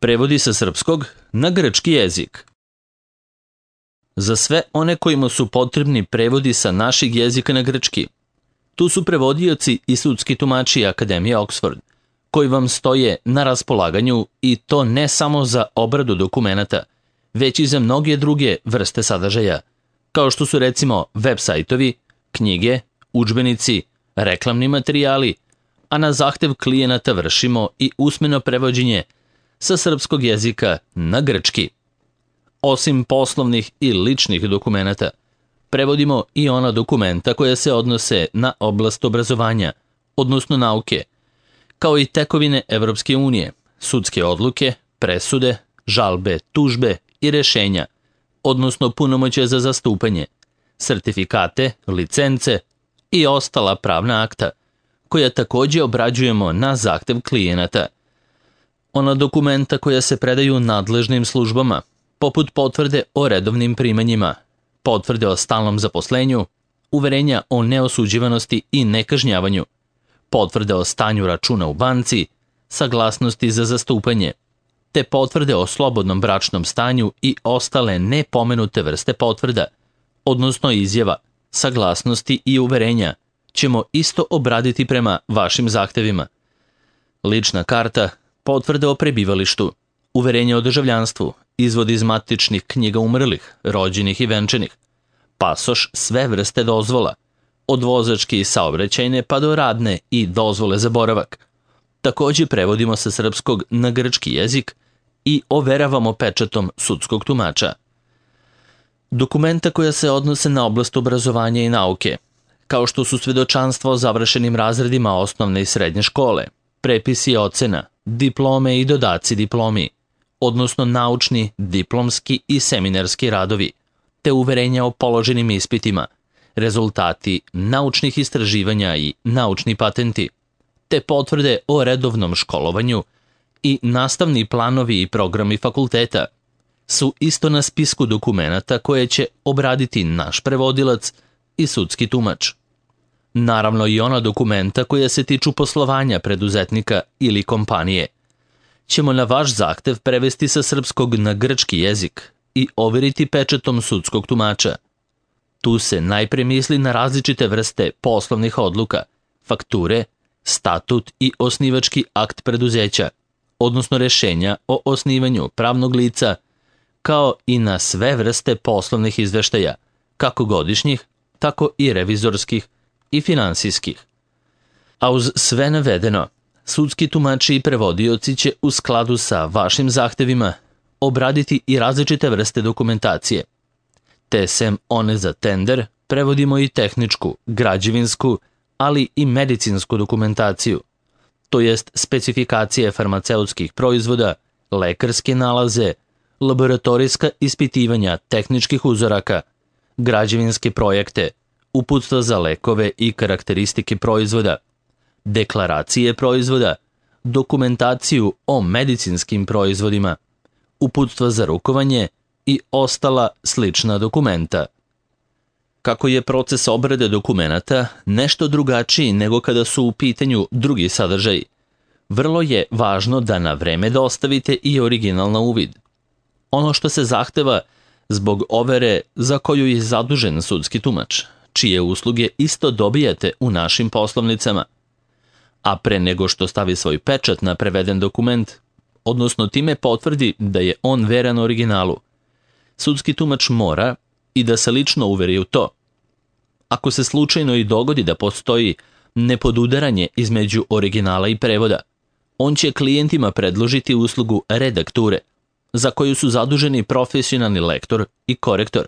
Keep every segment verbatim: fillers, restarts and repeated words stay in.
Prevodi sa srpskog na grčki jezik. Za sve one kojima su potrebni prevodi sa našeg jezika na grčki, tu su prevodioci i sudski tumači Akademije Oxford, koji vam stoje na raspolaganju i to ne samo za obradu dokumenata, već i za mnoge druge vrste sadržaja, kao što su recimo web sajtovi, knjige, udžbenici, reklamni materijali, a na zahtev klijenata vršimo i usmeno prevođenje sa srpskog jezika na grčki. Osim poslovnih i ličnih dokumenata, prevodimo i ona dokumenta koja se odnose na oblast obrazovanja, odnosno nauke, kao i tekovine Evropske unije, sudske odluke, presude, žalbe, tužbe i rešenja, odnosno punomoćje za zastupanje, sertifikate, licence i ostala pravna akta, koja takođe obrađujemo na zahtev klijenata. Ona dokumenta koja se predaju nadležnim službama, poput potvrde o redovnim primanjima, potvrde o stalnom zaposlenju, uverenja o neosuđivanosti i nekažnjavanju, potvrde o stanju računa u banci, saglasnosti za zastupanje, te potvrde o slobodnom bračnom stanju i ostale nepomenute vrste potvrda, odnosno izjava, saglasnosti i uverenja, ćemo isto obraditi prema vašim zahtevima. Lična karta, potvrde o prebivalištu, uverenje o državljanstvu, izvod iz matičnih knjiga umrlih, rođenih i venčanih, pasoš sve vrste dozvola, od vozačke i saobraćajne pa do radne i dozvole za boravak. Takođe prevodimo sa srpskog na grčki jezik i overavamo pečatom sudskog tumača. Dokumenta koja se odnose na oblast obrazovanja i nauke, kao što su svedočanstva o završenim razredima osnovne i srednje škole, prepisi ocena, diplome i dodaci diplomi, odnosno naučni, diplomski i seminarski radovi, te uverenja o položenim ispitima, rezultati naučnih istraživanja i naučni patenti, te potvrde o redovnom školovanju i nastavni planovi i programi fakulteta su isto na spisku dokumenata koje će obraditi naš prevodilac i sudski tumač. Naravno i ona dokumenta koja se tiču poslovanja preduzetnika ili kompanije ćemo na vaš zahtev prevesti sa srpskog na grčki jezik i overiti pečatom sudskog tumača. Tu se najpre misli na različite vrste poslovnih odluka, fakture, statut i osnivački akt preduzeća, odnosno rešenja o osnivanju pravnog lica, kao i na sve vrste poslovnih izveštaja, kako godišnjih, tako i revizorskih i finansijskih. A uz sve navedeno, sudski tumači i prevodioci će u skladu sa vašim zahtevima obraditi i različite vrste dokumentacije. Te sem one za tender, prevodimo i tehničku, građevinsku, ali i medicinsku dokumentaciju, to jest specifikacije farmaceutskih proizvoda, lekarske nalaze, laboratorijska ispitivanja tehničkih uzoraka, građevinske projekte, uputstva za lekove i karakteristike proizvoda, deklaracije proizvoda, dokumentaciju o medicinskim proizvodima, uputstva za rukovanje i ostala slična dokumenta. Kako je proces obrade dokumenata nešto drugačiji nego kada su u pitanju drugi sadržaji, vrlo je važno da na vreme dostavite i original na uvid. Ono što se zahteva zbog overe za koju je zadužen sudski tumač, čije usluge isto dobijate u našim poslovnicama. A pre nego što stavi svoj pečat na preveden dokument, odnosno time potvrdi da je on veran originalu, sudski tumač mora i da se lično uveri u to. Ako se slučajno i dogodi da postoji nepodudaranje između originala i prevoda, on će klijentima predložiti uslugu redakture, za koju su zaduženi profesionalni lektor i korektor.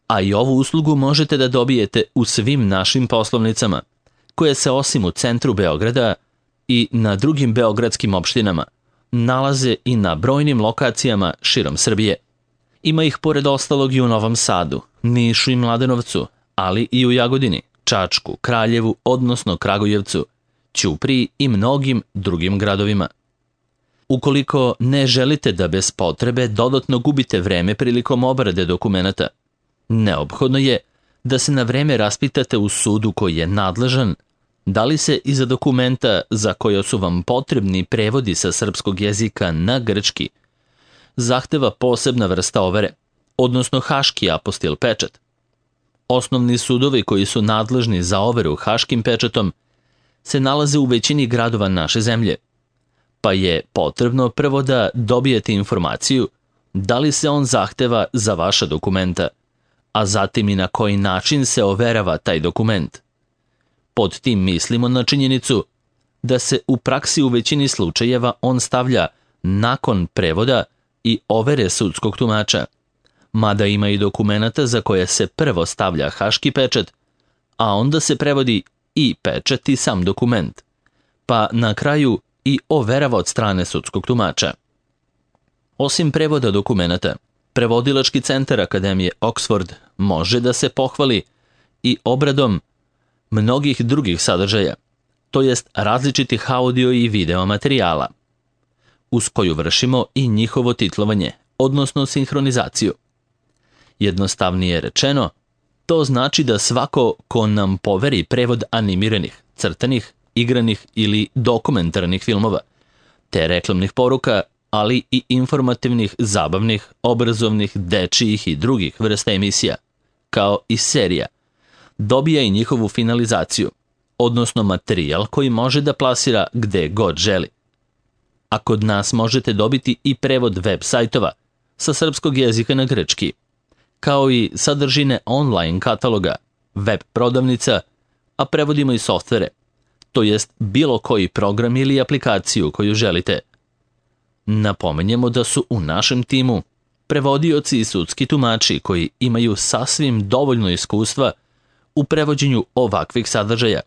A i ovu uslugu možete da dobijete u svim našim poslovnicama, koje se osim u centru Beograda i na drugim beogradskim opštinama nalaze i na brojnim lokacijama širom Srbije. Ima ih pored ostalog i u Novom Sadu, Nišu i Mladenovcu, ali i u Jagodini, Čačku, Kraljevu, odnosno Kragujevcu, Ćupriji i mnogim drugim gradovima. Ukoliko ne želite da bez potrebe dodatno gubite vreme prilikom obrade dokumenata, neophodno je da se na vreme raspitate u sudu koji je nadležan Da li se iza dokumenta za koje su vam potrebni prevodi sa srpskog jezika na grčki zahteva posebna vrsta overe, odnosno haški apostil pečat? Osnovni sudovi koji su nadležni za overu haškim pečatom se nalaze u većini gradova naše zemlje, pa je potrebno prvo da dobijete informaciju da li se on zahteva za vaša dokumenta, a zatim i na koji način se overava taj dokument. Pod tim mislimo na činjenicu da se u praksi u većini slučajeva on stavlja nakon prevoda i overe sudskog tumača, mada ima i dokumenata za koje se prvo stavlja haški pečat, a onda se prevodi i pečat i sam dokument, pa na kraju i overava od strane sudskog tumača. Osim prevoda dokumenata, Prevodilački centar Akademije Oxford može da se pohvali i obradom mnogih drugih sadržaja, to jest različitih audio i video materijala, uz koju vršimo i njihovo titlovanje, odnosno sinhronizaciju. Jednostavnije rečeno, to znači da svako ko nam poveri prevod animiranih, crtanih, igranih ili dokumentarnih filmova, te reklamnih poruka, ali i informativnih, zabavnih, obrazovnih, dečijih i drugih vrsta emisija, kao i serija, dobija i njihovu finalizaciju, odnosno materijal koji može da plasira gde god želi. A kod nas možete dobiti i prevod web sajtova sa srpskog jezika na grčki, kao i sadržine online kataloga, web prodavnica, a prevodimo i softvere, to jest bilo koji program ili aplikaciju koju želite. Napomenjemo da su u našem timu prevodioci i sudski tumači koji imaju sasvim dovoljno iskustva u prevođenju ovakvih sadržaja,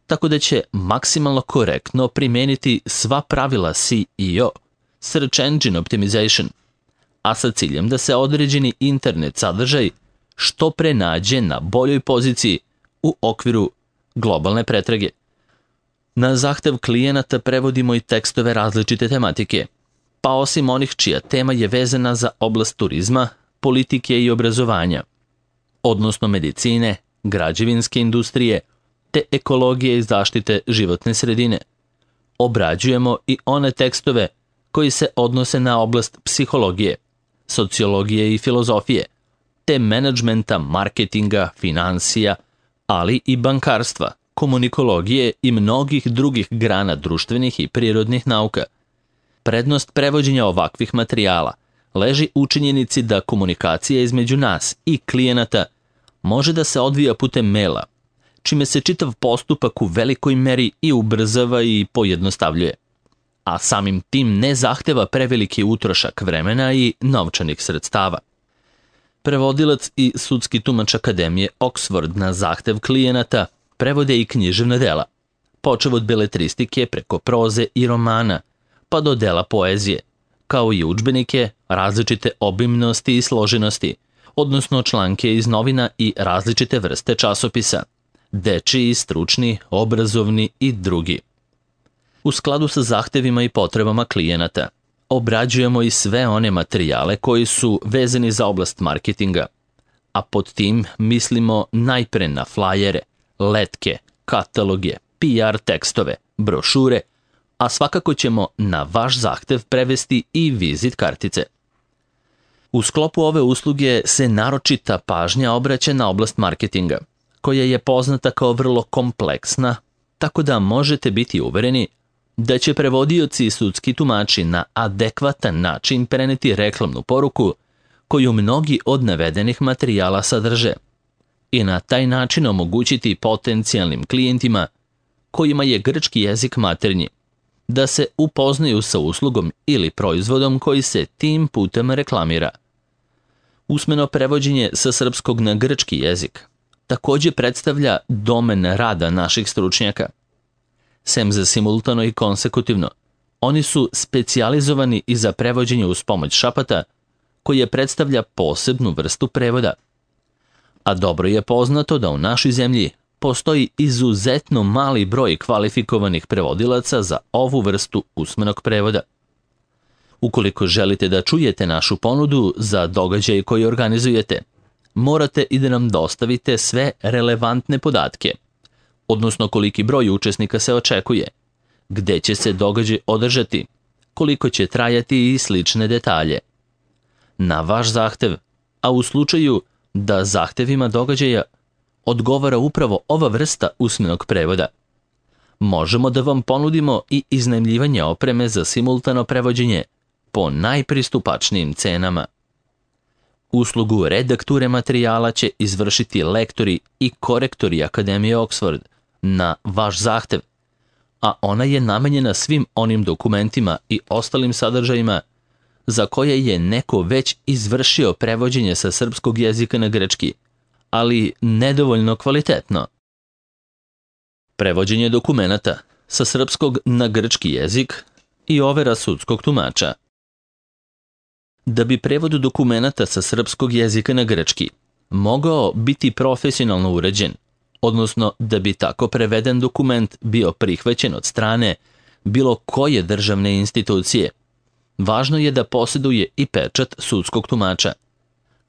tako da će maksimalno korektno primeniti sva pravila S E O, Search Engine Optimization, a sa ciljem da se određeni internet sadržaj što pre nađe na boljoj poziciji u okviru globalne pretrage. Na zahtev klijenata prevodimo i tekstove različite tematike, pa osim onih čija tema je vezana za oblast turizma, politike i obrazovanja, odnosno medicine, građevinske industrije, te ekologije i zaštite životne sredine. Obrađujemo i one tekstove koji se odnose na oblast psihologije, sociologije i filozofije, te menadžmenta, marketinga, finansija, ali i bankarstva, komunikologije i mnogih drugih grana društvenih i prirodnih nauka. Prednost prevođenja ovakvih materijala leži u činjenici da komunikacija između nas i klijenata može da se odvija putem maila, čime se čitav postupak u velikoj meri i ubrzava i pojednostavljuje, a samim tim ne zahteva preveliki utrošak vremena i novčanih sredstava. Prevodilac i sudski tumač Akademije Oxford na zahtev klijenata prevode i književna dela, počev od beletristike preko proze i romana, pa do dela poezije, kao i udžbenike različite obimnosti i složenosti, odnosno članke iz novina i različite vrste časopisa, dečiji, stručni, obrazovni i drugi. U skladu sa zahtevima i potrebama klijenata, obrađujemo i sve one materijale koji su vezani za oblast marketinga, a pod tim mislimo najpre na flajere, letke, kataloge, P R tekstove, brošure, a svakako ćemo na vaš zahtev prevesti i vizit kartice. U sklopu ove usluge se naročita pažnja obraća na oblast marketinga, koja je poznata kao vrlo kompleksna, tako da možete biti uvereni da će prevodioci i sudski tumači na adekvatan način preneti reklamnu poruku koju mnogi od navedenih materijala sadrže i na taj način omogućiti potencijalnim klijentima kojima je grčki jezik maternji da se upoznaju sa uslugom ili proizvodom koji se tim putem reklamira. Usmeno prevođenje sa srpskog na grčki jezik također predstavlja domen rada naših stručnjaka. Sem za simultano i konsekutivno, oni su specijalizovani i za prevođenje uz pomoć šapata, koje predstavlja posebnu vrstu prevoda. A dobro je poznato da u našoj zemlji postoji izuzetno mali broj kvalifikovanih prevodilaca za ovu vrstu usmenog prevoda. Ukoliko želite da čujete našu ponudu za događaj koji organizujete, morate i da nam dostavite sve relevantne podatke, odnosno koliki broj učesnika se očekuje, gde će se događaj održati, koliko će trajati i slične detalje. Na vaš zahtev, a u slučaju da zahtevima događaja odgovara upravo ova vrsta usmenog prevoda, možemo da vam ponudimo i iznajmljivanje opreme za simultano prevođenje po najpristupačnijim cenama. Uslugu redakture materijala će izvršiti lektori i korektori Akademije Oxford na vaš zahtev, a ona je namenjena svim onim dokumentima i ostalim sadržajima za koje je neko već izvršio prevođenje sa srpskog jezika na grčki, ali nedovoljno kvalitetno. Prevođenje dokumenata sa srpskog na grčki jezik i overa sudskog tumača. Da bi prevod dokumenata sa srpskog jezika na grčki mogao biti profesionalno uređen, odnosno da bi tako preveden dokument bio prihvaćen od strane bilo koje državne institucije, važno je da posjeduje i pečat sudskog tumača.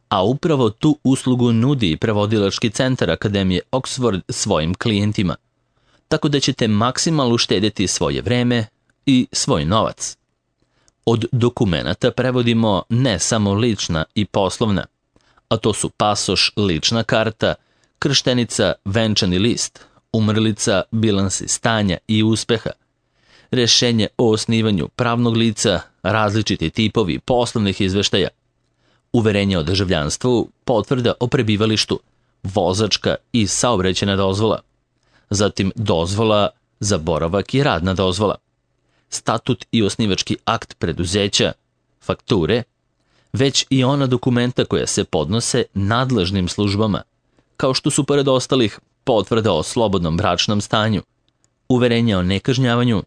A upravo tu uslugu nudi i prevodilački centar Akademije Oxford svojim klijentima, tako da ćete maksimalno uštedjeti svoje vreme i svoj novac. Od dokumenata prevodimo ne samo lična i poslovna, a to su pasoš, lična karta, krštenica, venčani list, umrlica, bilansi stanja i uspeha, rešenje o osnivanju pravnog lica, različiti tipovi poslovnih izveštaja, uverenje o državljanstvu, potvrda o prebivalištu, vozačka i saobraćajna dozvola, zatim dozvola za boravak i radna dozvola, statut i osnivački akt preduzeća, fakture, već i ona dokumenta koja se podnose nadležnim službama, kao što su pored ostalih potvrda o slobodnom bračnom stanju, uverenje o nekažnjavanju,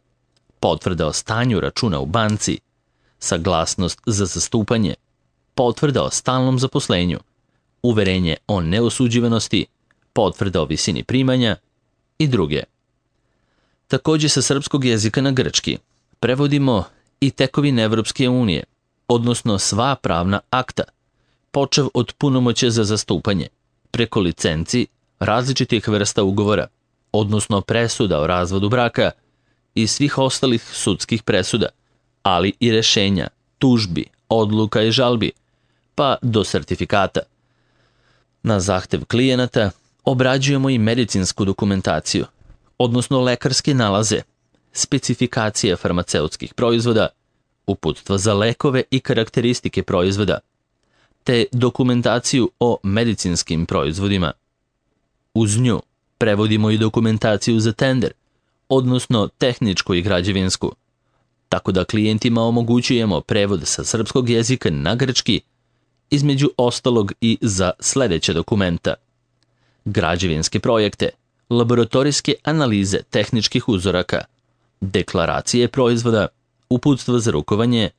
potvrda o stanju računa u banci, saglasnost za zastupanje, potvrda o stalnom zaposlenju, uverenje o neosuđivanosti, potvrda o visini primanja i druge. Također sa srpskog jezika na grčki prevodimo i tekovine Evropske unije, odnosno sva pravna akta, počev od punomoće za zastupanje, preko licenci različitih vrsta ugovora, odnosno presuda o razvodu braka i svih ostalih sudskih presuda, ali i rešenja, tužbi, odluka i žalbi, pa do sertifikata. Na zahtev klijenata obrađujemo i medicinsku dokumentaciju, odnosno lekarske nalaze, specifikacije farmaceutskih proizvoda, uputstva za lekove i karakteristike proizvoda, te dokumentaciju o medicinskim proizvodima. Uz nju prevodimo i dokumentaciju za tender, odnosno tehničku i građevinsku, tako da klijentima omogućujemo prevod sa srpskog jezika na grčki, između ostalog i za sljedeće dokumenta: građevinske projekte, laboratorijske analize tehničkih uzoraka, deklaracije proizvoda, uputstva za rukovanje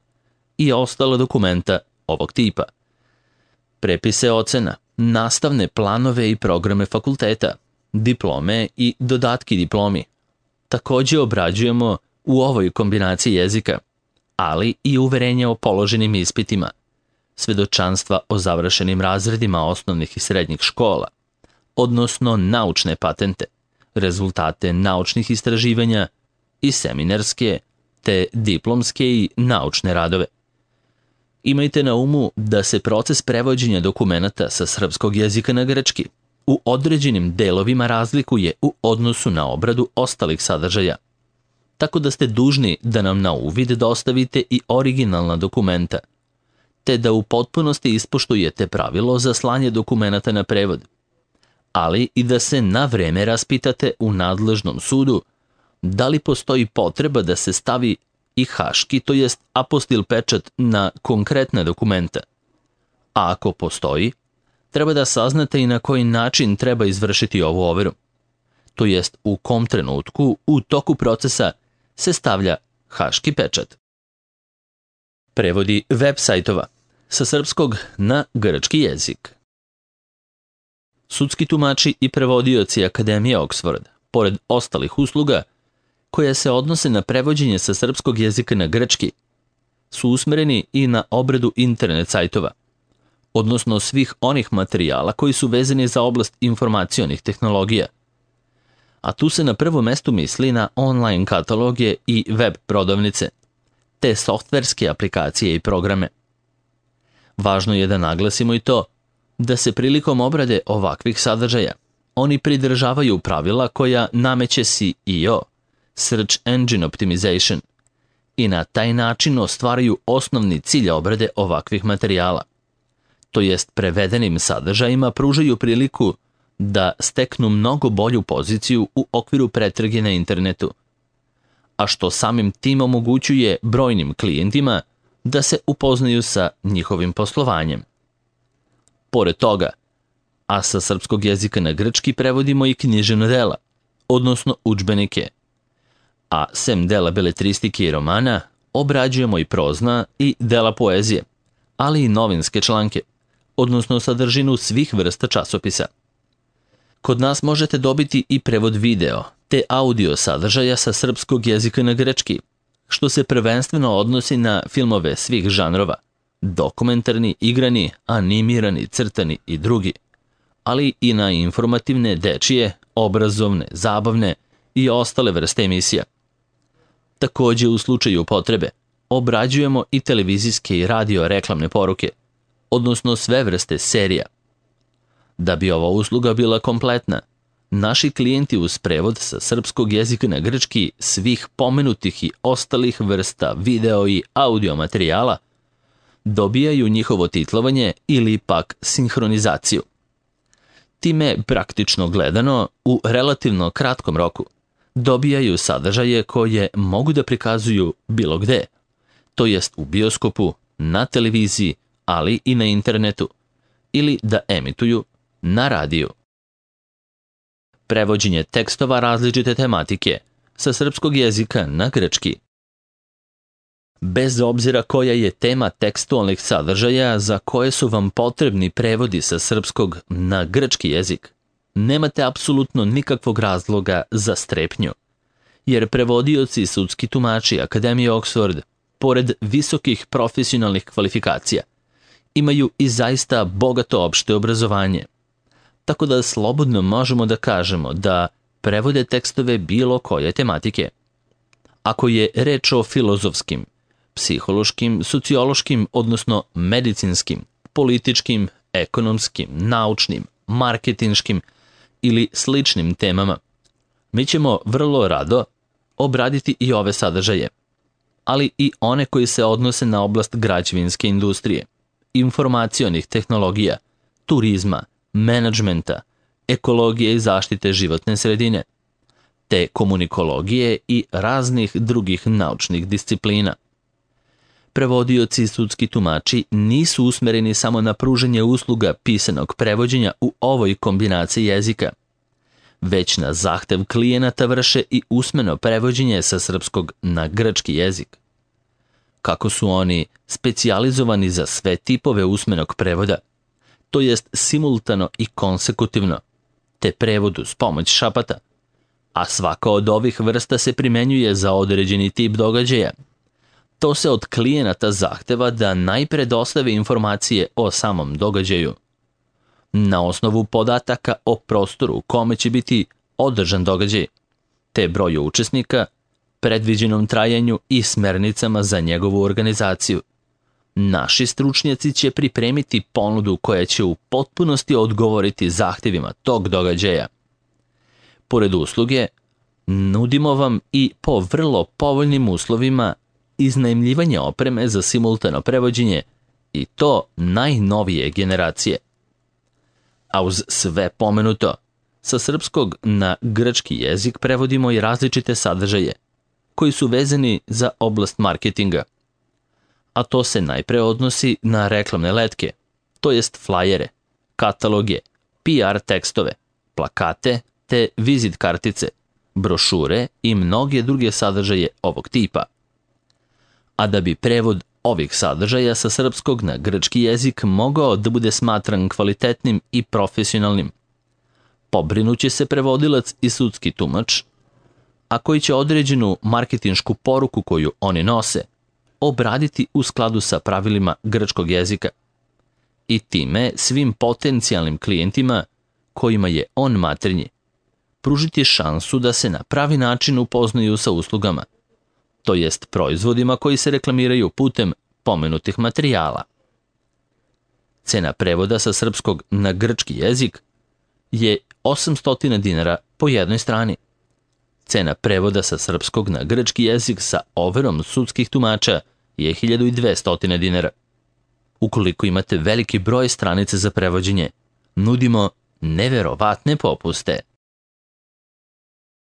i ostala dokumenta ovog tipa, prepise ocena, nastavne planove i programe fakulteta, diplome i dodatki diplomi. Također obrađujemo u ovoj kombinaciji jezika, ali i uverenja o položenim ispitima, svedočanstva o završenim razredima osnovnih i srednjih škola, odnosno naučne patente, rezultate naučnih istraživanja i seminarske, te diplomske i naučne radove. Imajte na umu da se proces prevođenja dokumenata sa srpskog jezika na grčki u određenim delovima razlikuje u odnosu na obradu ostalih sadržaja, tako da ste dužni da nam na uvid dostavite i originalna dokumenta, te da u potpunosti ispoštujete pravilo za slanje dokumenata na prevod, ali i da se na vreme raspitate u nadležnom sudu da li postoji potreba da se stavi i haški, to jest apostil pečat na konkretne dokumenta. A ako postoji, treba da saznate i na koji način treba izvršiti ovu overu, to jest u kom trenutku u toku procesa se stavlja haški pečat. Prevodi web sajtova sa srpskog na grčki jezik. Sudski tumači i prevodioci Akademije Oxford, pored ostalih usluga koje se odnose na prevođenje sa srpskog jezika na grčki, su usmereni i na obradu internet sajtova, odnosno svih onih materijala koji su vezani za oblast informacionih tehnologija. A tu se na prvom mestu misli na online kataloge i web prodavnice, te softverske aplikacije i programe. Važno je da naglasimo i to da se prilikom obrade ovakvih sadržaja oni pridržavaju pravila koja nameće S E O, Search Engine Optimization, i na taj način ostvaraju osnovni cilj obrade ovakvih materijala. To jest prevedenim sadržajima pružaju priliku da steknu mnogo bolju poziciju u okviru pretrage na internetu, a što samim tim omogućuje brojnim klijentima da se upoznaju sa njihovim poslovanjem. Pored toga, a sa srpskog jezika na grčki prevodimo i književna dela, odnosno udžbenike, a sem dela beletristike i romana obrađujemo i prozna i dela poezije, ali i novinske članke, odnosno sadržinu svih vrsta časopisa. Kod nas možete dobiti i prevod video te audio sadržaja sa srpskog jezika na grčki, što se prvenstveno odnosi na filmove svih žanrova, dokumentarni, igrani, animirani, crtani i drugi, ali i na informativne, dečije, obrazovne, zabavne i ostale vrste emisija. Takođe, u slučaju potrebe, obrađujemo i televizijske i radio reklamne poruke, odnosno sve vrste serija. Da bi ova usluga bila kompletna, naši klijenti uz prevod sa srpskog jezika na grčki svih pomenutih i ostalih vrsta video i audio materijala dobijaju njihovo titlovanje ili pak sinhronizaciju. Time, praktično gledano, u relativno kratkom roku dobijaju sadržaje koje mogu da prikazuju bilo gde, to jest u bioskopu, na televiziji, ali i na internetu, ili da emituju na radiju. Prevođenje tekstova različite tematike sa srpskog jezika na grčki. Bez obzira koja je tema tekstualnih sadržaja za koje su vam potrebni prevodi sa srpskog na grčki jezik, nemate apsolutno nikakvog razloga za strepnju, jer prevodioci i sudski tumači Akademije Oxford, pored visokih profesionalnih kvalifikacija, imaju i zaista bogato opšte obrazovanje, tako da slobodno možemo da kažemo da prevode tekstove bilo koje tematike. Ako je reč o filozofskim, psihološkim, sociološkim, odnosno medicinskim, političkim, ekonomskim, naučnim, marketinškim ili sličnim temama, mi ćemo vrlo rado obraditi i ove sadržaje, ali i one koji se odnose na oblast građevinske industrije, informacionih tehnologija, turizma, menadžmenta, ekologije i zaštite životne sredine, te komunikologije i raznih drugih naučnih disciplina. Prevodioci i sudski tumači nisu usmereni samo na pružanje usluga pisanog prevođenja u ovoj kombinaciji jezika, već na zahtev klijenata vrše i usmeno prevođenje sa srpskog na grčki jezik. Kako su oni specijalizovani za sve tipove usmenog prevoda, to jest simultano i konsekutivno, te prevod uz pomoć šapata, a svaka od ovih vrsta se primenjuje za određeni tip događaja. To se od klijenata zahteva da najpre dostave informacije o samom događaju, na osnovu podataka o prostoru u kome će biti održan događaj, te broju učesnika, predviđenom trajanju i smernicama za njegovu organizaciju. Naši stručnjaci će pripremiti ponudu koja će u potpunosti odgovoriti zahtevima tog događaja. Pored usluge, nudimo vam i po vrlo povoljnim uslovima iznajmljivanje opreme za simultano prevođenje i to najnovije generacije. A uz sve pomenuto, sa srpskog na grčki jezik prevodimo i različite sadržaje koji su vezani za oblast marketinga. A to se najpre odnosi na reklamne letke, to jest flajere, kataloge, P R tekstove, plakate te vizit kartice, brošure i mnoge druge sadržaje ovog tipa. A da bi prevod ovih sadržaja sa srpskog na grčki jezik mogao da bude smatran kvalitetnim i profesionalnim, pobrinuće se prevodilac i sudski tumač, a koji će određenu marketinšku poruku koju oni nose obraditi u skladu sa pravilima grčkog jezika i time svim potencijalnim klijentima kojima je on maternji pružiti šansu da se na pravi način upoznaju sa uslugama, to jest proizvodima koji se reklamiraju putem pomenutih materijala. Cena prevoda sa srpskog na grčki jezik je osamsto dinara po jednoj strani. Cena prevoda sa srpskog na grčki jezik sa overom sudskih tumača je hiljadu dvesta dinara. Ukoliko imate veliki broj stranice za prevođenje, nudimo neverovatne popuste.